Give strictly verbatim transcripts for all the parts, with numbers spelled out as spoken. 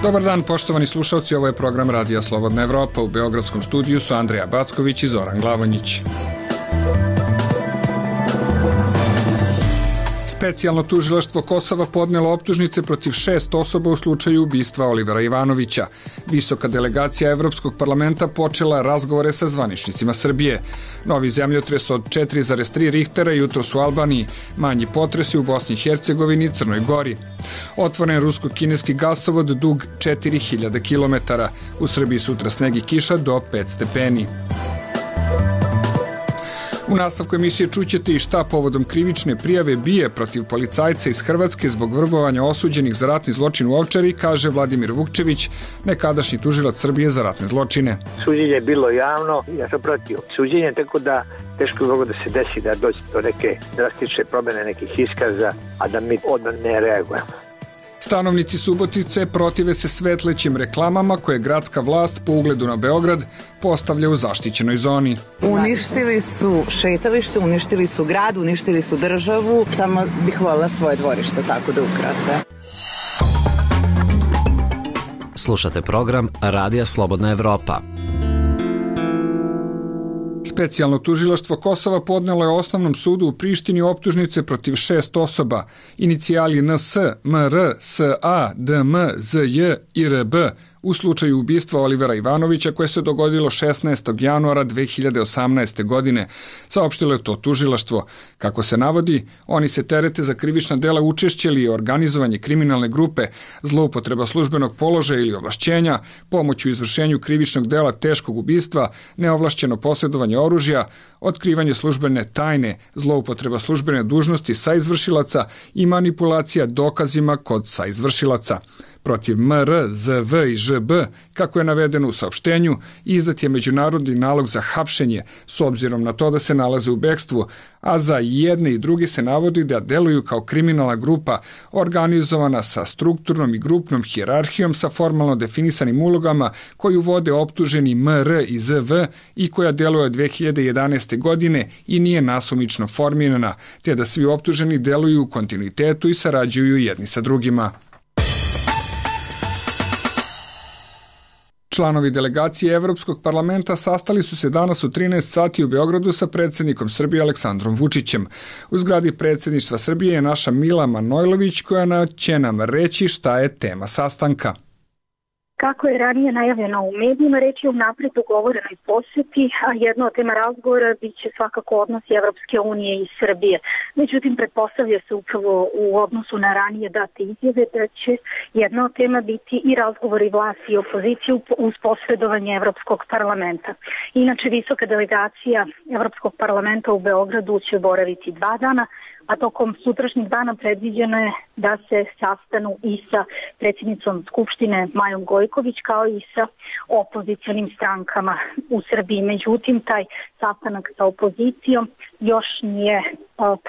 Dobar dan, poštovani slušalci, ovo je program Radija Slobodna Evropa. U beogradskom studiju su Andrija Backović i Zoran Glavonjić. Specijalno tužilaštvo Kosova podnelo optužnice protiv šest osoba u slučaju ubistva Olivera Ivanovića. Visoka delegacija Evropskog parlamenta počela razgovore sa zvaničnicima Srbije. Novi zemljotres od četiri zarez tri Richtera jutros u Albaniji, manji potresi u Bosni i Hercegovini i Crnoj Gori. Otvoren rusko-kineski gasovod dug četiri hiljade kilometara. U Srbiji sutra sneg i kiša do pet stepeni. U nastavku emisije čućete i šta povodom krivične prijave bije protiv policajca iz Hrvatske zbog vrbovanja osuđenih za ratni zločin u Ovčari, kaže Vladimir Vukčević, nekadašnji tužilac Srbije za ratne zločine. Suđenje je bilo javno, ja sam protiv suđenja, tako da teško je mogo da se desi da dođe do neke drastične promjene nekih iskaza, a da mi odmah ne reagujemo. Stanovnici Subotice protive se svetlećim reklamama koje gradska vlast po ugledu na Beograd postavlja u zaštićenoj zoni. Uništili su šetalište, uništili su grad, uništili su državu. Samo bih voljela svoje dvorište tako da ukrase. Slušate program Radija Slobodna Evropa. Specijalno tužilaštvo Kosova podnelo je Osnovnom sudu u Prištini optužnice protiv šest osoba, inicijali N S, M R, S A, D M, Z J i R B, u slučaju ubistva Olivera Ivanovića koje se dogodilo šesnaestog januara dve hiljade osamnaeste. godine, saopštilo je to tužilaštvo. Kako se navodi, oni se terete za krivična dela učešća ili organizovanje kriminalne grupe, zloupotreba službenog položaja ili ovlašćenja, pomoć u izvršenju krivičnog dela teškog ubistva, neovlašćeno posjedovanje oružja, otkrivanje službene tajne, zloupotreba službene dužnosti saizvršilaca i manipulacija dokazima kod saizvršilaca. Protiv M R, Z V i Ž B, kako je navedeno u saopštenju, izdat je međunarodni nalog za hapšenje s obzirom na to da se nalaze u bekstvu, a za jedne i druge se navodi da deluju kao kriminalna grupa organizovana sa strukturnom i grupnom hijerarhijom sa formalno definisanim ulogama koju vode optuženi M R i Z V i koja deluje od dve hiljade jedanaeste. godine i nije nasumično formirana, te da svi optuženi deluju u kontinuitetu i sarađuju jedni sa drugima. Članovi delegacije Evropskog parlamenta sastali su se danas u trinaest sati u Beogradu sa predsjednikom Srbije Aleksandrom Vučićem. U zgradi predsjedništva Srbije je naša Mila Manojlović koja će nam reći šta je tema sastanka. Kako je ranije najavljeno u medijima, reč je o napred dogovorenoj posjeti, a jedna od tema razgovora bit će svakako odnosi Evropske unije i Srbije. Međutim, pretpostavlja se upravo u odnosu na ranije date izjave da će jedna od tema biti i razgovori vlasti i opozicije uz posredovanje Evropskog parlamenta. Inače, visoka delegacija Evropskog parlamenta u Beogradu će boraviti dva dana, a tokom sutrašnjeg dana predviđeno je da se sastanu i sa predsjednicom Skupštine Majom Gojković kao i sa opozicionim strankama u Srbiji. Međutim, taj sastanak sa opozicijom još nije uh,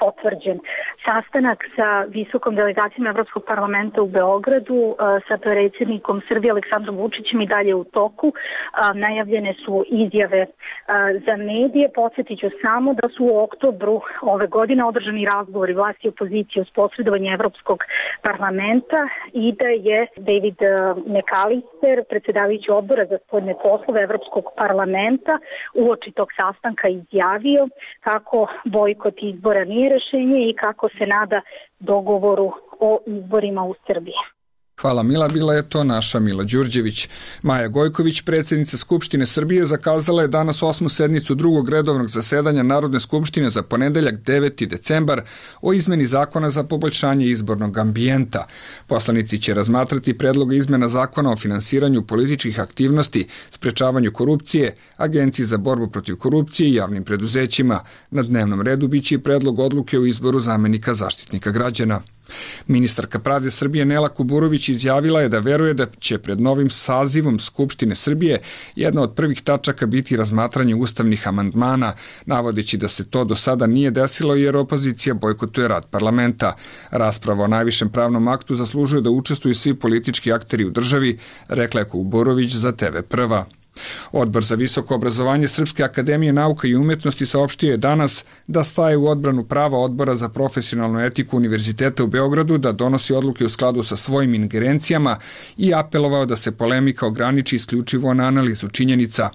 potvrđen. Sastanak sa visokom delegacijom Evropskog parlamenta u Beogradu uh, sa predsjednikom Srbije Aleksandrom Vučićem i dalje u toku. Uh, najavljene su izjave uh, za medije. Podsjetit ću samo da su u oktobru ove godine održani razgovori vlasti i opozicije uz posredovanje Evropskog parlamenta i da je David McAllister, predsjedavajući odbora za spoljne poslove Evropskog parlamenta, uoči tog sastanka izjavio kako bojkot izbora nije rešenje i kako se nada dogovoru o izborima u Srbiji. Hvala Mila, bila je to naša Mila Đurđević. Maja Gojković, predsjednica Skupštine Srbije, zakazala je danas osmu sednicu drugog redovnog zasedanja Narodne skupštine za ponedeljak deveti decembar o izmeni zakona za poboljšanje izbornog ambijenta. Poslanici će razmatrati predloge izmena zakona o finansiranju političkih aktivnosti, sprečavanju korupcije, Agenciji za borbu protiv korupcije i javnim preduzećima. Na dnevnom redu biće i predlog odluke o izboru zamenika Zaštitnika građana. Ministarka pravde Srbije Nela Kuburović izjavila je da veruje da će pred novim sazivom Skupštine Srbije jedna od prvih tačaka biti razmatranje ustavnih amandmana, navodeći da se to do sada nije desilo jer opozicija bojkotuje rad parlamenta. Rasprava o najvišem pravnom aktu zaslužuje da učestvuju svi politički akteri u državi, rekla je Kuburović za T V Prva. Odbor za visoko obrazovanje Srpske akademije nauka i umetnosti saopštio je danas da staje u odbranu prava Odbora za profesionalnu etiku Univerziteta u Beogradu da donosi odluke u skladu sa svojim ingerencijama i apelovao da se polemika ograniči isključivo na analizu činjenica.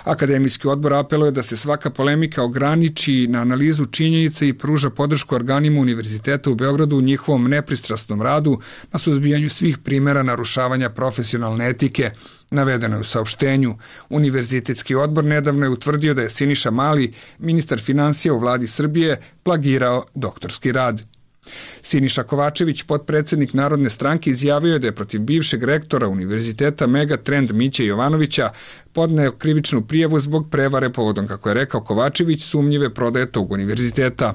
Akademijski odbor apeluje da se svaka polemika ograniči na analizu činjenica i pruža podršku organima Univerziteta u Beogradu u njihovom nepristrasnom radu na suzbijanju svih primjera narušavanja profesionalne etike. Navedeno je u saopštenju. Univerzitetski odbor nedavno je utvrdio da je Siniša Mali, ministar finansija u vladi Srbije, plagirao doktorski rad. Siniša Kovačević, potpredsednik Narodne stranke, izjavio je da je protiv bivšeg rektora Univerziteta Megatrend Miće Jovanovića podneo krivičnu prijavu zbog prevare povodom, kako je rekao Kovačević, sumnjive prodaje tog univerziteta.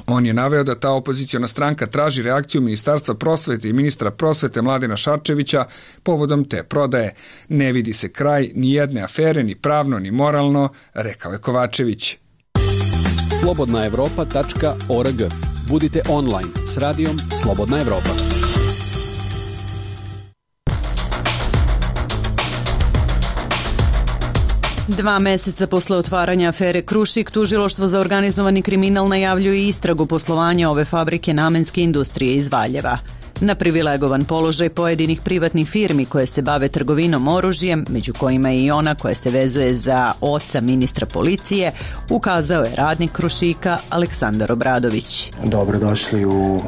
On je naveo da ta opoziciona stranka traži reakciju Ministarstva prosvete i ministra prosvete Mladena Šarčevića povodom te prodaje. Ne vidi se kraj ni jedne afere, ni pravno, ni moralno, rekao je Kovačević. slobodna evropa tačka org. Budite online s radijom Slobodna Evropa. Dva meseca posle otvaranja afere Krušik, Tužilaštvo za organizovani kriminal najavljuje istragu poslovanja ove fabrike namenske industrije iz Valjeva. Na privilegovan položaj pojedinih privatnih firmi koje se bave trgovinom oružjem, među kojima je i ona koja se vezuje za oca ministra policije, ukazao je radnik Krušika Aleksandar Obradović. Dobrodošli u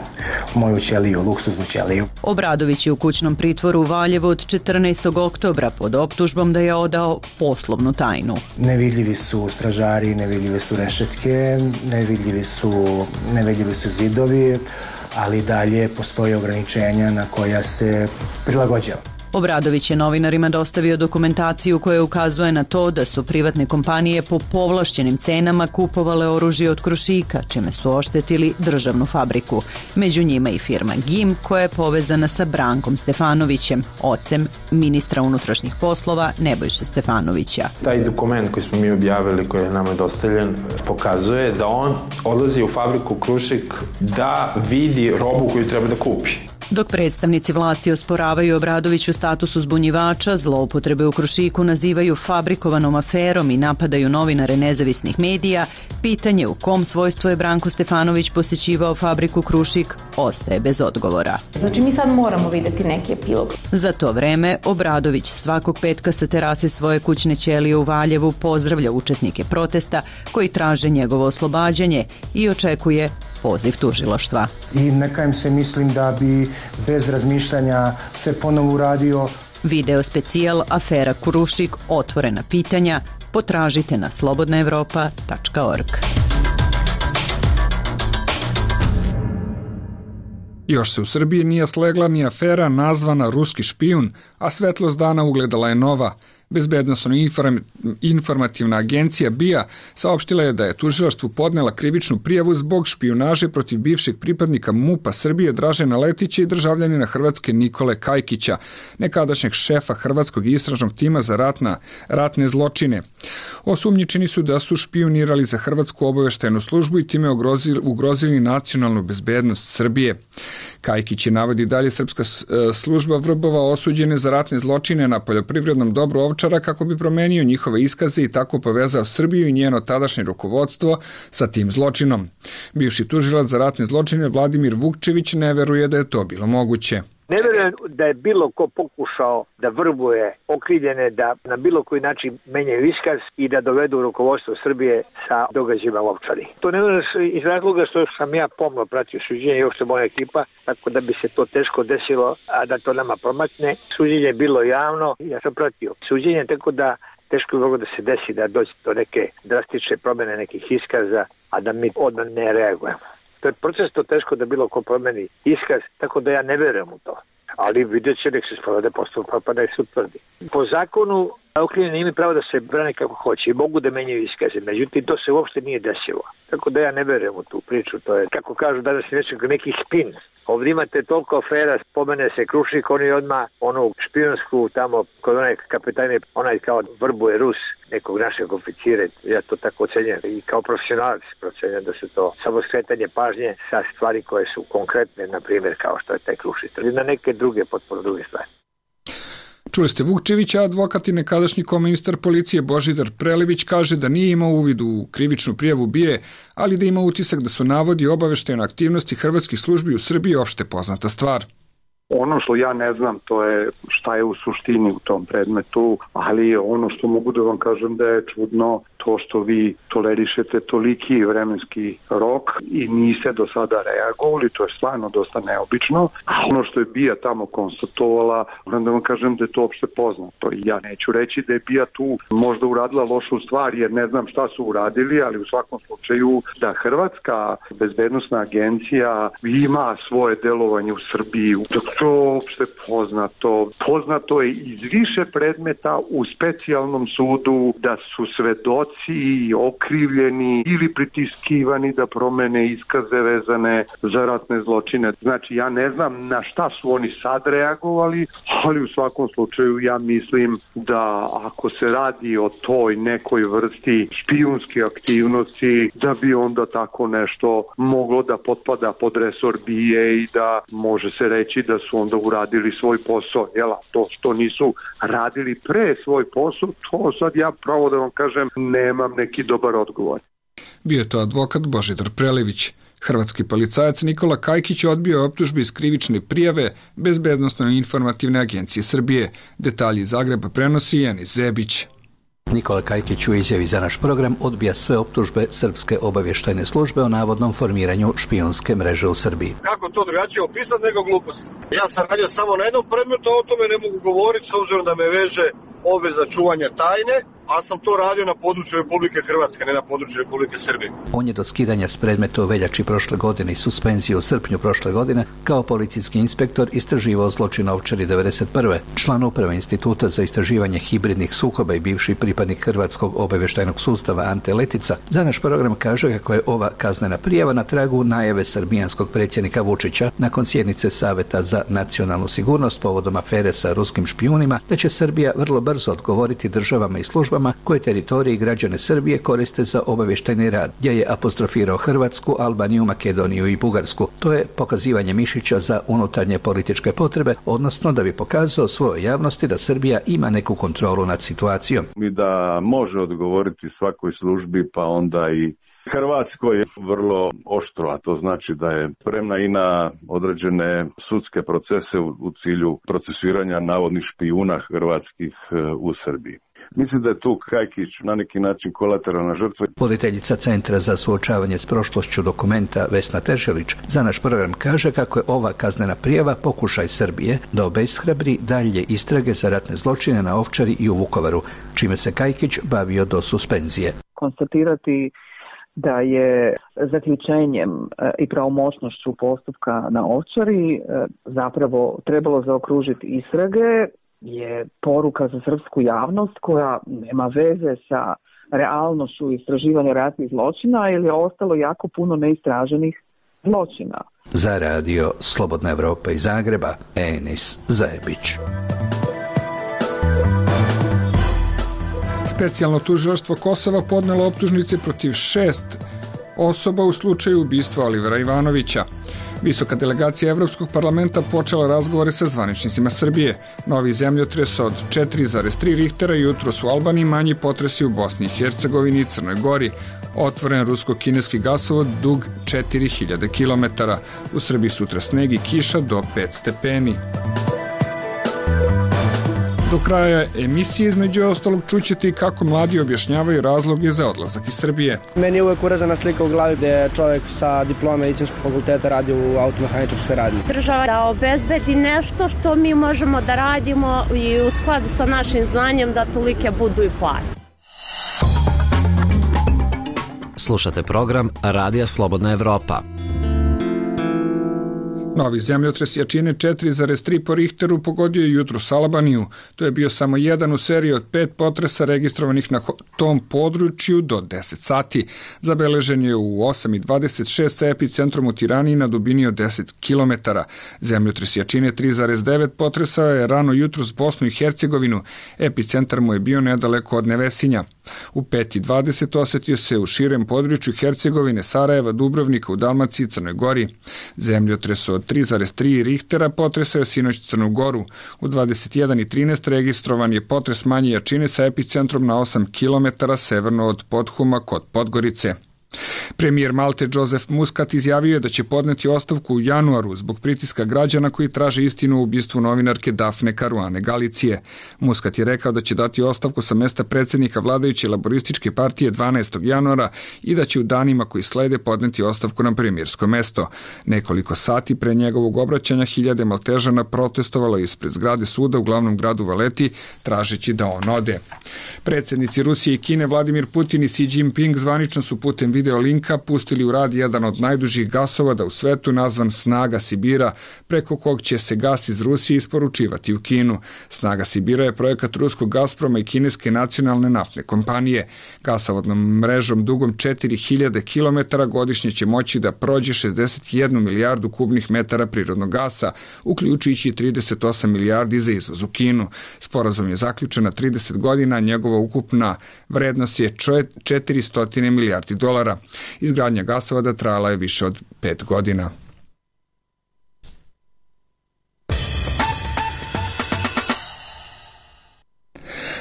moju ćeliju, luksuznu ćeliju. Obradović je u kućnom pritvoru u Valjevu od četrnaestog oktobra pod optužbom da je odao poslovnu tajnu. Nevidljivi su stražari, nevidljive su rešetke, nevidljivi su, nevidljivi su zidovi, ali dalje postoje ograničenja na koja se prilagođava. Obradović je novinarima dostavio dokumentaciju koja ukazuje na to da su privatne kompanije po povlašćenim cenama kupovale oružje od Krušika, čime su oštetili državnu fabriku. Među njima i firma G I M koja je povezana sa Brankom Stefanovićem, ocem ministra unutrašnjih poslova Nebojše Stefanovića. Taj dokument koji smo mi objavili, koji je nama dostavljen, pokazuje da on odlazi u fabriku Krušik da vidi robu koju treba da kupi. Dok predstavnici vlasti osporavaju Obradoviću status uzbunjivača, zloupotrebe u Krušiku nazivaju fabrikovanom aferom i napadaju novinare nezavisnih medija, pitanje u kom svojstvu je Branko Stefanović posjećivao fabriku Krušik ostaje bez odgovora. Znači mi sad moramo vidjeti neki epilog. Za to vreme Obradović svakog petka sa terase svoje kućne ćelije u Valjevu pozdravlja učesnike protesta koji traže njegovo oslobađanje i očekuje poziv tužilaštva. I neka im se mislim da bi bez razmišljanja sve ponovo uradio. Video specijal Afera Krušik, otvorena pitanja, potražite na slobodna evropa tačka org. Još se u Srbiji nije slegla ni afera nazvana Ruski špijun, a svetlost dana ugledala je nova. Bezbednosno informativna agencija B I A saopštila je da je tužilaštvu podnela krivičnu prijavu zbog špijunaže protiv bivšeg pripadnika MUP-a Srbije Dražena Letića i državljanina Hrvatske Nikole Kajkića, nekadašnjeg šefa Hrvatskog istražnog tima za ratna, ratne zločine. Osumnjičeni su da su špijunirali za Hrvatsku obaveštajnu službu i time ugrozili, ugrozili nacionalnu bezbednost Srbije. Kajkić je, navodi dalje, srpska služba vrbova osuđene za ratne zločine na poljoprivrednom dobru Ovčara kako bi promenio njihove iskaze i tako povezao Srbiju i njeno tadašnje rukovodstvo sa tim zločinom. Bivši tužilac za ratne zločine Vladimir Vukčević ne veruje da je to bilo moguće. Ne verujem da je bilo ko pokušao da vrbuje okrivljene, da na bilo koji način menjaju iskaz i da dovedu rukovodstvo Srbije sa događajima u Ovčari. To ne verujem iz razloga što sam ja pomno pratio suđenje i uopšte moja ekipa, tako da bi se to teško desilo, a da to nama promakne. Suđenje je bilo javno, ja sam pratio suđenje, tako da teško je moglo da se desi da dođe do neke drastične promene nekih iskaza, a da mi odmah ne reagujemo. To je proces to teško da bilo ko promeni iskaz, tako da ja ne verujem u to. Ali vidjet će nek se sprovode postupak pa da se utvrdi. Po zakonu okrivljeni imaju pravo da se brane kako hoće i mogu da menjaju iskaze, međutim to se uopšte nije desilo. Tako da ja ne verujem u tu priču, to je, kako kažu danas, neki spin. Ovdje imate toliko afera, spomene se Krušik, oni odmah onu špijunsku tamo kod onaj kapitajne, onaj kao vrbuje Rus, nekog našeg oficira, ja to tako ocenjam i kao profesionalac procenjam da se to samo skretanje pažnje sa stvari koje su konkretne, na primjer kao što je taj Krušik, ili na neke druge, potpuno druge stvari. Čuli ste Vukčevića, advokat i nekadašnji koministar policije Božidar Prelević kaže da nije imao uvid u krivičnu prijavu B I A E, ali da ima utisak da su navodi obaveštajne aktivnosti hrvatskih službi u Srbiji opšte poznata stvar. Ono što ja ne znam, to je šta je u suštini u tom predmetu, ali ono što mogu da vam kažem da je čudno to što vi tolerišete toliki vremenski rok i niste do sada reagovali, to je stvarno dosta neobično. A ono što je B I A tamo konstatovala, moram da vam kažem da je to opšte poznato. Ja neću reći da je B I A tu možda uradila lošu stvar, jer ne znam šta su uradili, ali u svakom slučaju da Hrvatska bezbednosna agencija ima svoje delovanje u Srbiji. To je opšte poznato. Poznato je iz više predmeta u specijalnom sudu da su svedoci okrivljeni ili pritiskivani da promene iskaze vezane za ratne zločine. Znači, ja ne znam na šta su oni sad reagovali, ali u svakom slučaju ja mislim da ako se radi o toj nekoj vrsti špijunske aktivnosti, da bi onda tako nešto moglo da potpada pod resor B I A E i da može se reći da su onda uradili svoj posao. Jela, to što nisu radili pre svoj posao, to sad ja pravo da vam kažem nemam neki dobar odgovor. Bio je to advokat Božidar Prelević. Hrvatski policajac Nikola Kajkić odbio optužbe iz krivične prijave Bezbednosno-informativne agencije Srbije. Detalji iz Zagreba prenosi Janis Zebić. Nikola Kajkić u izjavi za naš program odbija sve optužbe Srpske obavještajne službe o navodnom formiranju špijunske mreže u Srbiji. Kako to drugačije opisati nego glupost? Ja sam radio samo na jednom predmetu, a o tome ne mogu govoriti s obzirom da me veže obveza čuvanja tajne, a sam to radio na području Republike Hrvatske, ne na području Republike Srbije. On je do skidanja s predmeta u veljači prošle godine i suspenzije u srpnju prošle godine kao policijski inspektor istraživao zločin Ovčari devedeset prve Član uprave Instituta za istraživanje hibridnih sukoba i bivši pripadnik Hrvatskog obavještajnog sustava Ante Letica za naš program kaže kako je ova kaznena prijava na tragu najave srbijanskog predsjednika Vučića nakon sjednice Saveta za nacionalnu sigurnost povodom afere sa ruskim špijunima, da će Srbija vrlo brzo odgovoriti državama i službama koje teritorije i građane Srbije koriste za obavještajni rad, gdje je apostrofirao Hrvatsku, Albaniju, Makedoniju i Bugarsku. To je pokazivanje mišića za unutarnje političke potrebe, odnosno da bi pokazao svojoj javnosti da Srbija ima neku kontrolu nad situacijom. I da može odgovoriti svakoj službi, pa onda i Hrvatskoj je vrlo oštro, a to znači da je spremna i na određene sudske procese u, u cilju procesuiranja navodnih špijuna hrvatskih u Srbiji. Mislim da je tu Kajkić na neki način kolateralna žrtva. Voditeljica Centra za suočavanje s prošlošću Dokumenta Vesna Tešelić za naš program kaže kako je ova kaznena prijava pokušaj Srbije da obeshrabri dalje istrage za ratne zločine na Ovčari i u Vukovaru, čime se Kajkić bavio do suspenzije. Konstatirati da je zaključenjem i pravomoćnošću postupka na Ovčari zapravo trebalo zaokružiti istrage je poruka za srpsku javnost koja nema veze sa realnošću istraživanja ratnih zločina ili je ostalo jako puno neistraženih zločina. Za radio Slobodna Evropa iz Zagreba, Enis Zajebić. Specijalno tužilaštvo Kosova podnelo optužnice protiv šest osoba u slučaju ubistva Olivera Ivanovića. Visoka delegacija Evropskog parlamenta počela razgovore sa zvaničnicima Srbije. Novi zemljotres od četiri zarez tri Richtera jutros u Albaniji, manji potresi u Bosni i Hercegovini i Crnoj Gori. Otvoren rusko-kineski gasovod dug četiri hiljade kilometara. U Srbiji sutra sneg i kiša do pet stepeni. Do kraja emisije između ostalog čućete i kako mladi objašnjavaju razloge za odlazak iz Srbije. Meni je uvek uražena slika u glavi gde čovjek sa diplome medicinskog fakulteta radi u automehaničarskoj radnji. Država da obezbedi nešto što mi možemo da radimo i u skladu sa našim znanjem da tolike budu i plate. Slušate program Radija Slobodna Evropa. Novi zemljotres jačine četiri zarez tri po Richteru pogodio je jutros Albaniju. To je bio samo jedan u seriji od pet potresa registrovanih na tom području do deset sati. Zabeležen je u osam i dvadeset šest sa epicentrom u Tirani na dubini od deset kilometara. Zemljotres jačine tri zarez devet potresao je rano jutros Bosnu i Hercegovinu. Epicentar mu je bio nedaleko od Nevesinja. U pet i dvadeset osetio se u širem području Hercegovine, Sarajeva, Dubrovnika, u Dalmaciji i Crnoj Gori. Zemljotres od tri zarez tri Richtera potresao je sinoć Crnu Goru. U dvadeset jedan i trinaest registrovan je potres manje jačine sa epicentrom na osam kilometara severno od Podhuma kod Podgorice. Premijer Malte Joseph Muscat izjavio je da će podneti ostavku u januaru zbog pritiska građana koji traže istinu o ubistvu novinarke Dafne Caruane Galicije. Muscat je rekao da će dati ostavku sa mesta predsjednika vladajuće laborističke partije dvanaestog januara i da će u danima koji slede podneti ostavku na premijersko mesto. Nekoliko sati pre njegovog obraćanja hiljade Maltežana protestovalo ispred zgrade suda u glavnom gradu Valeti tražeći da on ode. Predsjednici Rusije i Kine Vladimir Putin i Xi Jinping zvanično su putem video linka pustili u rad jedan od najdužih gasovoda u svetu nazvan Snaga Sibira, preko kog će se gas iz Rusije isporučivati u Kinu. Snaga Sibira je projekat ruskog Gazproma i kineske nacionalne naftne kompanije. Gasovodnom mrežom dugom četiri hiljade kilometara godišnje će moći da prođe šezdeset jednu milijardu kubnih metara prirodnog gasa, uključujući trideset osam milijardi za izvoz u Kinu. Sporazum je zaključen na trideset godina, njegova ukupna vrednost je četiristo milijardi dolara. Izgradnja gasovoda trajala je više od pet godina.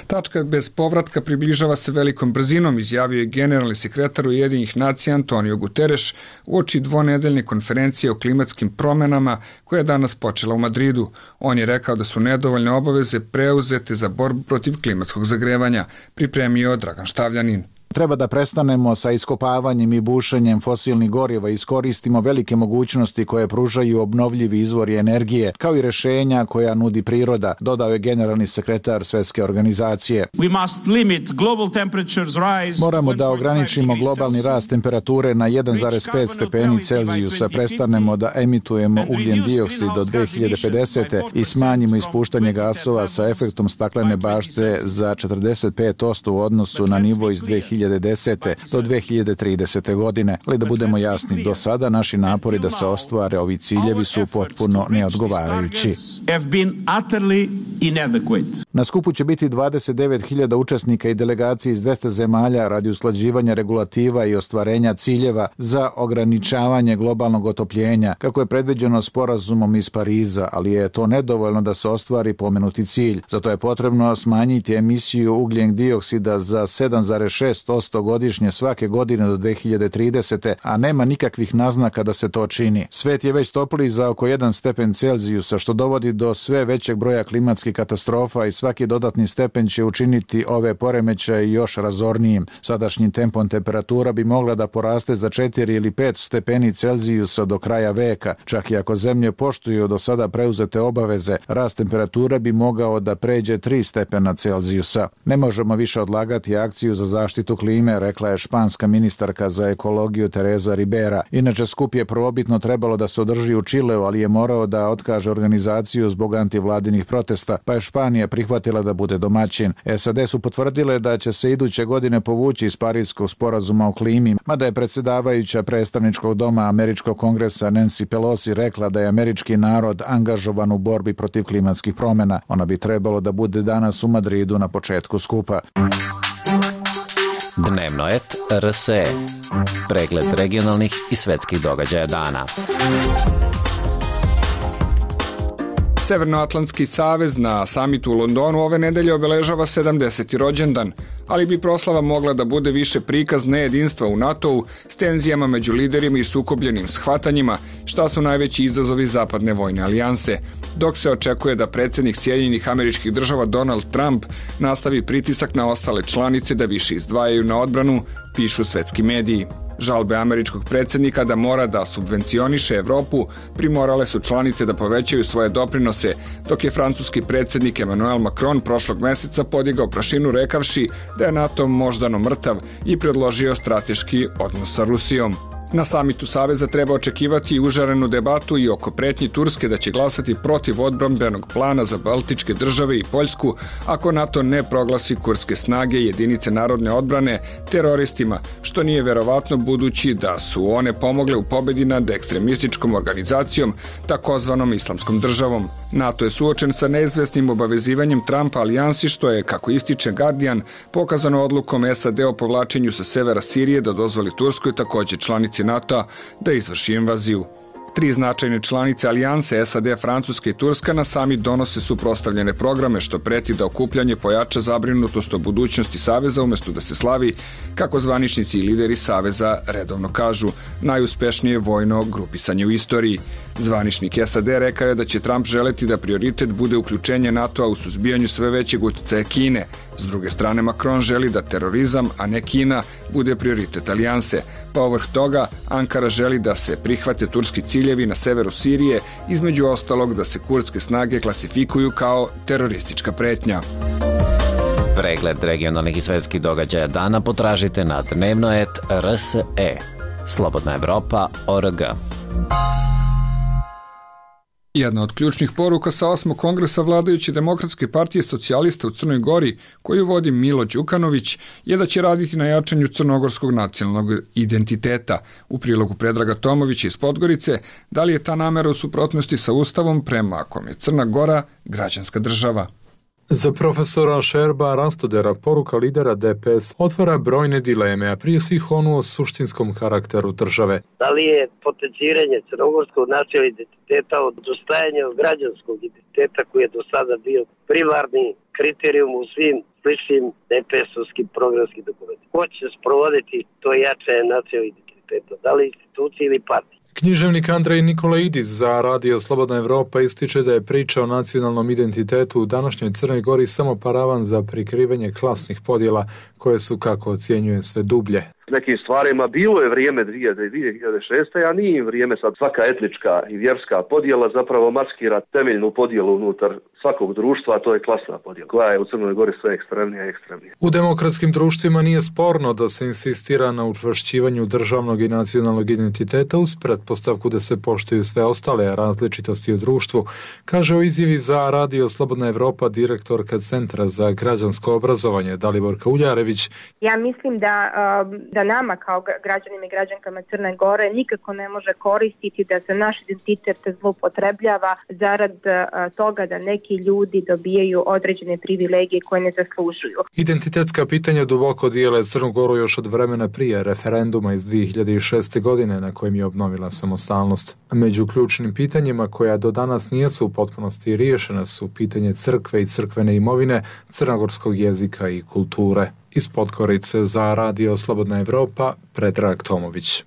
Tačka bez povratka približava se velikom brzinom, izjavio je generalni sekretar Ujedinjenih nacija Antonio Guterres uoči dvonedeljne konferencije o klimatskim promenama koja je danas počela u Madridu. On je rekao da su nedovoljne obaveze preuzete za borbu protiv klimatskog zagrevanja, pripremio Dragan Štavljanin. Treba da prestanemo sa iskopavanjem i bušenjem fosilnih goriva i iskoristimo velike mogućnosti koje pružaju obnovljivi izvori energije, kao i rešenja koja nudi priroda, dodao je generalni sekretar Svetske organizacije. Moramo da ograničimo globalni rast temperature na jedan zarez pet stepeni Celzijusa, prestanemo da emitujemo ugljen dioksid do dve hiljade pedesete. i smanjimo ispuštanje gasova sa efektom staklene bašte za četrdeset pet posto u odnosu na nivo iz dve hiljade desete. do dve hiljade tridesete. godine. Ali da budemo jasni, do sada naši napori da se ostvare ovi ciljevi su potpuno neodgovarajući. Na skupu će biti dvadeset devet hiljada učesnika i delegacije iz dvesta zemalja radi usklađivanja regulativa i ostvarenja ciljeva za ograničavanje globalnog otopljenja, kako je predviđeno sporazumom iz Pariza, ali je to nedovoljno da se ostvari pomenuti cilj. Zato je potrebno smanjiti emisiju ugljen dioksida za sedam zarez šest posto godišnje svake godine do dve hiljade tridesete. a nema nikakvih naznaka da se to čini. Svet je već topliji za oko jedan stepen Celzijusa, što dovodi do sve većeg broja klimatskih katastrofa i svaki dodatni stepen će učiniti ove poremećaje još razornijim. Sadašnjim tempom temperatura bi mogla da poraste za četiri ili pet stepeni Celzijusa do kraja veka. Čak i ako zemlje poštuju do sada preuzete obaveze, rast temperature bi mogao da pređe tri stepena Celzijusa. Ne možemo više odlagati akciju za zaštitu klime, rekla je španska ministarka za ekologiju Teresa Ribera. Inače, skup je prvobitno trebalo da se održi u Čileu, ali je morao da otkaže organizaciju zbog antivladinih protesta, pa je Španija prihvatila da bude domaćin. S A D su potvrdile da će se iduće godine povući iz Parijskog sporazuma o klimi, mada je predsjedavajuća predstavničkog doma Američkog kongresa Nancy Pelosi rekla da je američki narod angažovan u borbi protiv klimatskih promjena. Ona bi trebalo da bude danas u Madridu na početku skupa. Dnevnoet R S E. Pregled regionalnih i svetskih događaja dana. Severnoatlantski savez na samitu u Londonu ove nedelje obeležava sedamdeseti rođendan, ali bi proslava mogla da bude više prikaz nejedinstva u NATO-u s tenzijama među liderima i sukobljenim shvatanjima, šta su najveći izazovi zapadne vojne alijanse, dok se očekuje da predsjednik Sjedinjenih Američkih Država Donald Trump nastavi pritisak na ostale članice da više izdvajaju na odbranu, pišu svetski mediji. Žalbe američkog predsjednika da mora da subvencioniše Evropu primorale su članice da povećaju svoje doprinose, dok je francuski predsjednik Emmanuel Macron prošlog meseca podigao prašinu rekavši da je NATO moždano mrtav i predložio strateški odnos sa Rusijom. Na samitu Saveza treba očekivati užarenu debatu i oko pretnji Turske da će glasati protiv odbrambenog plana za Baltičke države i Poljsku ako NATO ne proglasi kurdske snage i jedinice narodne odbrane teroristima, što nije verovatno budući da su one pomogle u pobedi nad ekstremističkom organizacijom, takozvanom islamskom državom. NATO je suočen sa neizvesnim obavezivanjem Trumpa alijansi, što je, kako ističe Guardian, pokazano odlukom S A D o povlačenju sa severa Sirije da dozvoli Turskoj, također članici NATO-a, da izvrši invaziju. Tri značajne članice alijanse S A D, Francuska i Turska na samit donose suprotstavljene programe, što preti da okupljanje pojača zabrinutost o budućnosti Saveza umesto da se slavi, kako zvaničnici i lideri Saveza redovno kažu, najuspešnije vojno grupisanje u istoriji. Zvaničnik S A D rekao je da će Trump želeti da prioritet bude uključenje NATO-a u suzbijanju sve većeg uticaja Kine. S druge strane, Macron želi da terorizam, a ne Kina, bude prioritet alijanse. Povrh toga, Ankara želi da se prihvate turski ciljevi na severu Sirije, između ostalog da se kurdske snage klasifikuju kao teroristička pretnja. Pregled regionalnih i svetskih događaja dana potražite na dnevno et R S E. Slobodna Evropa точка O R G. Jedna od ključnih poruka sa osmog kongresa vladajuće Demokratske partije socijalista u Crnoj Gori, koju vodi Milo Đukanović, je da će raditi na jačanju crnogorskog nacionalnog identiteta. U prilogu Predraga Tomovića iz Podgorice, da li je ta namera u suprotnosti sa Ustavom prema kom je Crna Gora građanska država? Za profesora Šerba Rastodera poruka lidera D P S otvara brojne dileme, a prije svih onu o suštinskom karakteru države. Da li je potenciranje crnogorskog nacionalnog identiteta od dostajanja građanskog identiteta koji je do sada bio primarni kriterijum u svim sličnim D P S-ovskim programskim dokumentima? Ko će sprovoditi to jačanje nacionalnog identiteta? Da li institucije ili partije? Književnik Andrej Nikolaidis za Radio Slobodna Evropa ističe da je priča o nacionalnom identitetu u današnjoj Crnoj Gori samo paravan za prikrivanje klasnih podjela koje su, kako ocjenjuje, sve dublje. Nekim stvarima bilo je vrijeme dvije hiljade šeste. a nije vrijeme sad svaka etnička i vjerska podjela zapravo maskira temeljnu podjelu unutar svakog društva, a to je klasna podjela, koja je u Crnoj Gori sve ekstremnija i ekstremnija. U demokratskim društvima nije sporno da se insistira na učvršćivanju državnog i nacionalnog identiteta uz pretpostavku da se poštuju sve ostale različitosti u društvu, kaže u izjavi za Radio Slobodna Evropa direktorka Centra za građansko obrazovanje Daliborka Uljarević. Ja mislim da da nama kao građanima i građankama Crne Gore nikako ne može koristiti da se naš identitet zloupotrebljava zarad toga da neki ljudi dobijaju određene privilegije koje ne zaslužuju. Identitetska pitanja duboko dijele Crnu Goru još od vremena prije referenduma iz dvije hiljade šeste. godine na kojem je obnovila samostalnost. Među ključnim pitanjima koja do danas nisu u potpunosti riješena su pitanje crkve i crkvene imovine, crnogorskog jezika i kulture. Iz Podgorice za Radio Slobodna Evropa, Predrag Tomović.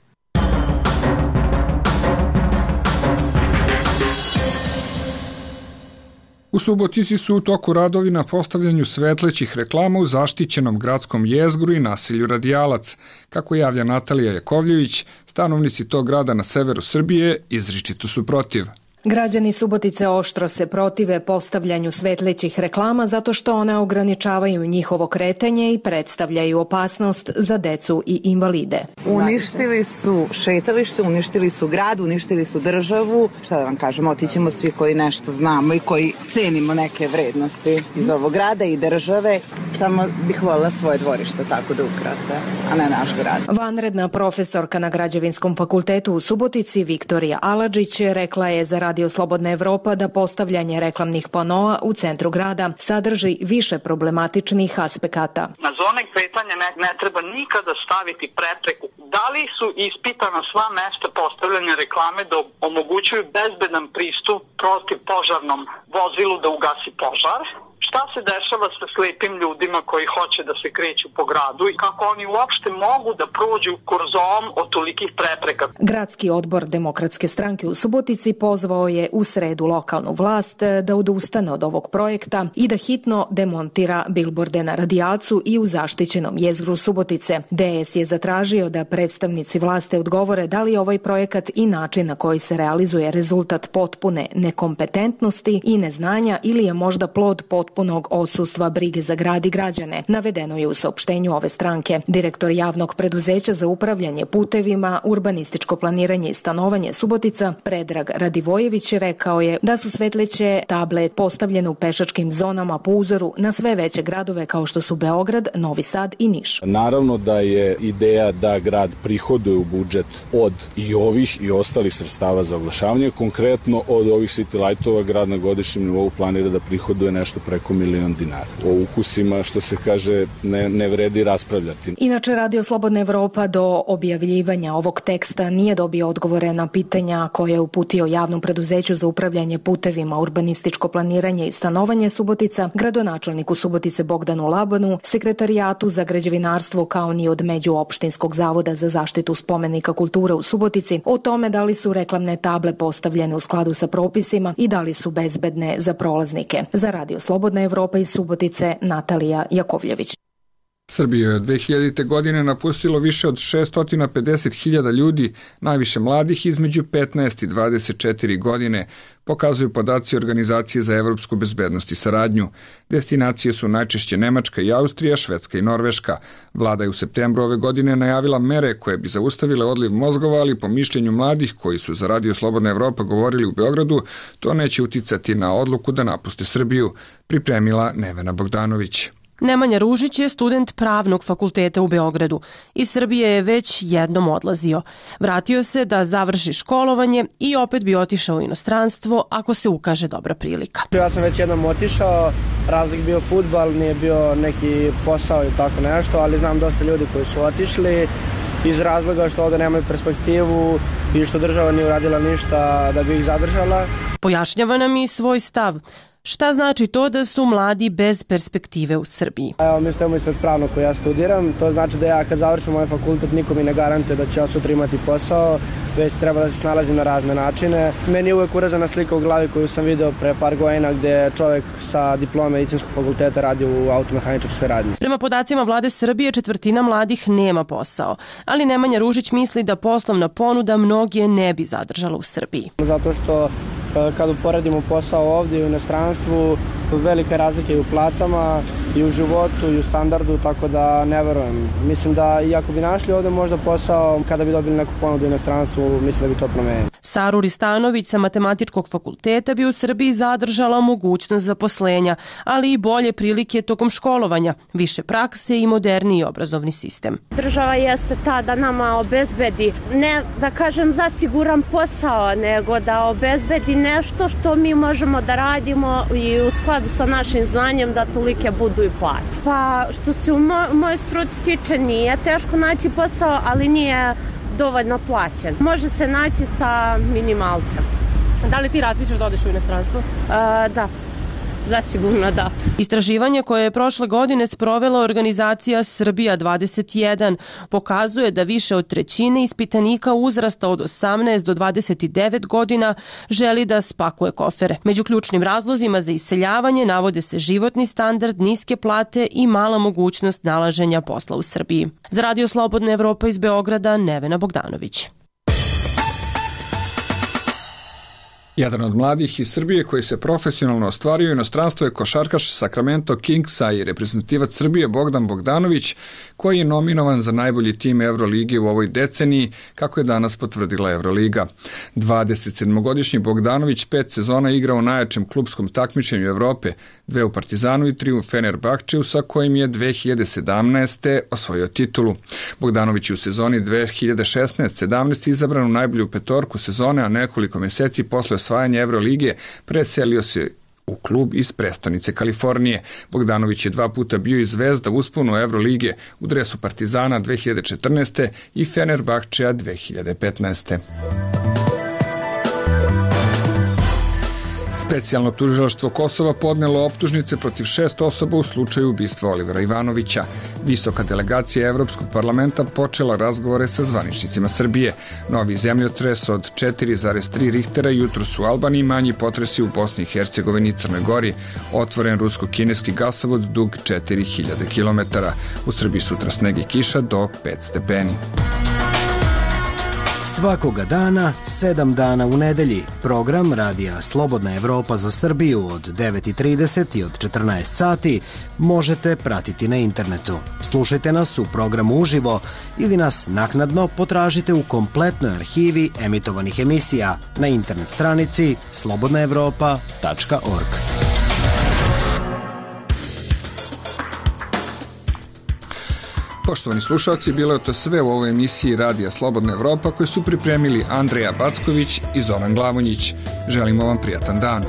U Subotici su u toku radovi na postavljanju svetlećih reklama u zaštićenom gradskom jezgru i naselju Radijalac. Kako javlja Natalija Jakovljević, stanovnici tog grada na severu Srbije izričito su protiv. Građani Subotice oštro se protive postavljanju svetlećih reklama zato što one ograničavaju njihovo kretanje i predstavljaju opasnost za decu i invalide. Uništili su šetalište, uništili su grad, uništili su državu. Šta da vam kažem, otićemo svi koji nešto znamo i koji cenimo neke vrednosti iz ovog grada i države. Samo bih voljela svoje dvorište tako da ukrase, a ne naš grad. Vanredna profesorka na Građevinskom fakultetu u Subotici Viktorija Aladžić rekla je za Radio Slobodna Evropa da postavljanje reklamnih panoa u centru grada sadrži više problematičnih aspekata. Na zone kretanja ne, ne treba nikada staviti prepreku. Da li su ispitana sva mesta postavljanja reklame da omogućuju bezbedan pristup protiv požarnom vozilu da ugasi požar? Šta se dešava sa slepim ljudima koji hoće da se kreću po gradu i kako oni uopšte mogu da prođu kurzom od tolikih prepreka? Gradski odbor Demokratske stranke u Subotici pozvao je u sredu lokalnu vlast da odustane od ovog projekta i da hitno demontira bilborde na Radijalcu i u zaštićenom jezgru Subotice. D S je zatražio da predstavnici vlasti odgovore da li je ovaj projekat i način na koji se realizuje rezultat potpune nekompetentnosti i neznanja ili je možda plod potpunog odsustva brige za grad i građane, navedeno je u saopštenju ove stranke. Direktor javnog preduzeća za upravljanje putevima, urbanističko planiranje i stanovanje Subotica, Predrag Radivojević, rekao je da su svetleće table postavljene u pešačkim zonama po uzoru na sve veće gradove kao što su Beograd, Novi Sad i Niš. Naravno da je ideja da grad prihoduje u budžet od i ovih i ostalih sredstava za oglašavanje. Konkretno od ovih city lightova grad na godišnjem nivou planira da prihoduje nešto preko preko milion dinara. O ukusima, što se kaže, ne, ne vredi raspravljati. Inače, Radio Slobodna Evropa do objavljivanja ovog teksta nije dobio odgovore na pitanja koje je uputio Javnom preduzeću za upravljanje putevima, urbanističko planiranje i stanovanje Subotica, gradonačelniku Subotice Bogdanu Labanu, sekretarijatu za građevinarstvo kao ni od Međuopštinskog zavoda za zaštitu spomenika kulture u Subotici o tome da li su reklamne table postavljene u skladu sa propisima i da li su bezbedne za prolaznike. Za Radio Slobodna Evropa iz Subotice, Natalija Jakovljević. Srbiju je od dve hiljadite. godine napustilo više od šesto pedeset hiljada ljudi, najviše mladih između petnaest i dvadeset četiri godine, pokazuju podaci Organizacije za evropsku bezbednost i saradnju. Destinacije su najčešće Nemačka i Austrija, Švedska i Norveška. Vlada je u septembru ove godine najavila mere koje bi zaustavile odliv mozgova, ali po mišljenju mladih koji su za Radio Slobodna Evropa govorili u Beogradu, to neće uticati na odluku da napuste Srbiju, pripremila Nevena Bogdanović. Nemanja Ružić je student Pravnog fakulteta u Beogradu. Iz Srbije je već jednom odlazio. Vratio se da završi školovanje i opet bi otišao u inostranstvo ako se ukaže dobra prilika. Ja sam već jednom otišao, razlik bio fudbal, nije bio neki posao i tako nešto, ali znam dosta ljudi koji su otišli iz razloga što ovde nemaju perspektivu i što država nije uradila ništa da bi ih zadržala. Pojašnjava nam i svoj stav. Šta znači to da su mladi bez perspektive u Srbiji? Evo, mi stojimo ispred pravnog koji ja studiram. To znači da ja kad završim moj fakultet niko mi ne garantuje da ću ja sutra imati posao, već treba da se snalazim na razne načine. Meni je uvek urazana slika u glavi koju sam video pre par godina gde čovjek sa diplome medicinskog fakulteta radi u automehaničarskoj radnji. Prema podacima vlade Srbije, četvrtina mladih nema posao, ali Nemanja Ružić misli da poslovna ponuda mnoge ne bi zadržala u Srbiji. Zato što kad uporedimo posao ovdje i u inostranstvu, velike razlike i u platama, i u životu, i u standardu, tako da ne verujem. Mislim da i ako bi našli ovdje možda posao, kada bi dobili neku ponudu u inostranstvu, mislim da bi to promenilo. Saru Ristanović sa Matematičkog fakulteta bi u Srbiji zadržala mogućnost zaposlenja, ali i bolje prilike tokom školovanja, više prakse i moderniji obrazovni sistem. Država jeste ta da nama obezbedi, ne da kažem za siguran posao, nego da obezbedi nešto što mi možemo da radimo i u skladu sa našim znanjem da tolike budu i plate. Pa što se u mo- mojoj struci tiče nije teško naći posao, ali nije dovoljno plaćen. Može se naći sa minimalcem. Da li ti razmišljaš da odeš u inostranstvo? A, da. Zasigurno da. Istraživanje koje je prošle godine sprovela organizacija Srbija dvadeset jedan pokazuje da više od trećine ispitanika uzrasta od osamnaest do dvadeset devet godina želi da spakuje kofere. Među ključnim razlozima za iseljavanje navode se životni standard, niske plate i mala mogućnost nalaženja posla u Srbiji. Za Radio Slobodna Evropa iz Beograda, Nevena Bogdanović. Jedan od mladih iz Srbije koji se profesionalno ostvario u inostranstvo je košarkaš Sacramento Kingsa i reprezentativac Srbije Bogdan Bogdanović, koji je nominovan za najbolji tim Evrolige u ovoj deceniji, kako je danas potvrdila Evroliga. dvadesetsedmogodišnji Bogdanović pet sezona igrao u najjačem klubskom takmičenju Evrope, dve u Partizanu i tri u Fenerbahčeu, sa kojim je dve hiljade sedamnaeste. osvojio titulu. Bogdanović je u sezoni dve hiljade šesnaeste sedamnaeste. izabran u najbolju petorku sezone, a nekoliko meseci posle osvajanja Evrolige preselio se u klub iz prestonice Kalifornije. Bogdanović je dva puta bio i zvezda usponu Evrolige u dresu Partizana dve hiljade četrnaeste. i Fenerbahčea dve hiljade petnaeste. Specijalno tužilaštvo Kosova podnelo optužnice protiv šest osoba u slučaju ubistva Olivera Ivanovića. Visoka delegacija Evropskog parlamenta počela razgovore sa zvaničnicima Srbije. Novi zemljotres od četiri zarez tri Richtera jutros u Albaniji, manji potresi u Bosni i Hercegovini i Crnoj Gori. Otvoren rusko-kineski gasovod dug četiri hiljade kilometara. U Srbiji sutra sneg i kiša do pet stepeni. Svakoga dana, sedam dana u nedelji. Program Radija Slobodna Evropa za Srbiju od devet i trideset i od četrnaest sati možete pratiti na internetu. Slušajte nas u programu uživo ili nas naknadno potražite u kompletnoj arhivi emitovanih emisija na internet stranici slobodna evropa tačka org. Poštovani slušalci, bilo je to sve u ovoj emisiji Radija Slobodna Evropa koju su pripremili Andreja Backović i Zoran Glavonjić. Želimo vam prijatan dan.